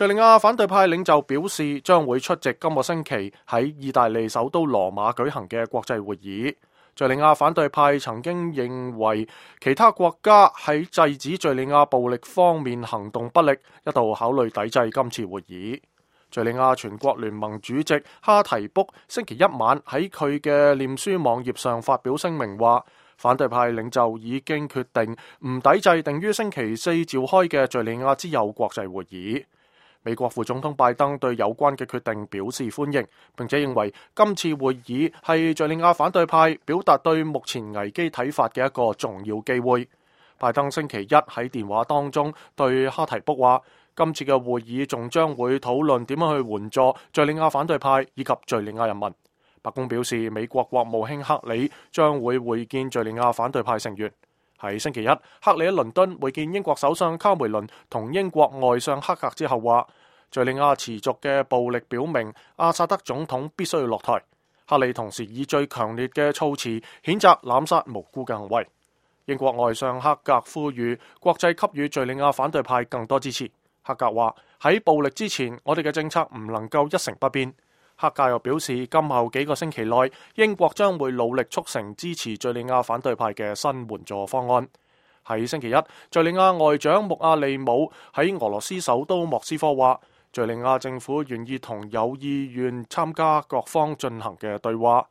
敘利亞反對派領袖表示將會出席今個星期喺意大利首都羅馬舉行嘅國際會議。敘利亞反對派曾經認為其他國家喺制止敘利亞暴力方面行動不力，一度考慮抵制今次會議。敘利亞全國聯盟主席哈提卜星期一晚喺佢嘅臉書網頁上發表聲明話，反對派領袖已經決定唔抵制定於星期四召開嘅敘利亞之友國際會議。美國副總統拜登對有關嘅決定表示歡迎，並且認為今次會議係敘利亞反對派表達對目前危機睇法嘅一個重要機會。拜登星期一喺電話當中對哈提卜話，今次嘅會議仲將會討論點樣去援助敘利亞反對派以及敘利亞人民。白宮表示，美國國務卿克里將會會見敘利亞反對派成員。喺星期一，克里喺倫敦會見英國首相卡梅倫同英國外相克格之後話，敘利亞持續嘅暴力表明阿薩德總統必須要落台。克里同時以最強烈嘅措辭譴責濫殺無辜嘅行為。英國外相克格呼籲國際給予敘利亞反對派更多支持。克格話，喺暴力之前，我哋嘅政策唔能夠一成不變。克格又表示，今後幾個星期內，英國將會努力促成支持敘利亞反對派嘅新援助方案。喺星期一，敘利亞外長穆阿利姆喺俄羅斯首都莫斯科話，敘利亞政府願意同有意願參加各方進行嘅對話。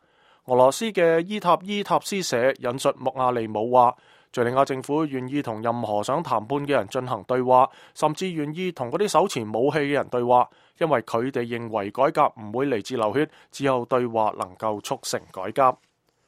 俄羅斯嘅伊塔斯社引述穆阿利姆話，敘利亞政府願意同任何想談判嘅人進行對話，甚至願意同嗰啲手持武器嘅人對話，因為佢哋認為改革唔會嚟自流血，只有對話能夠促成改革。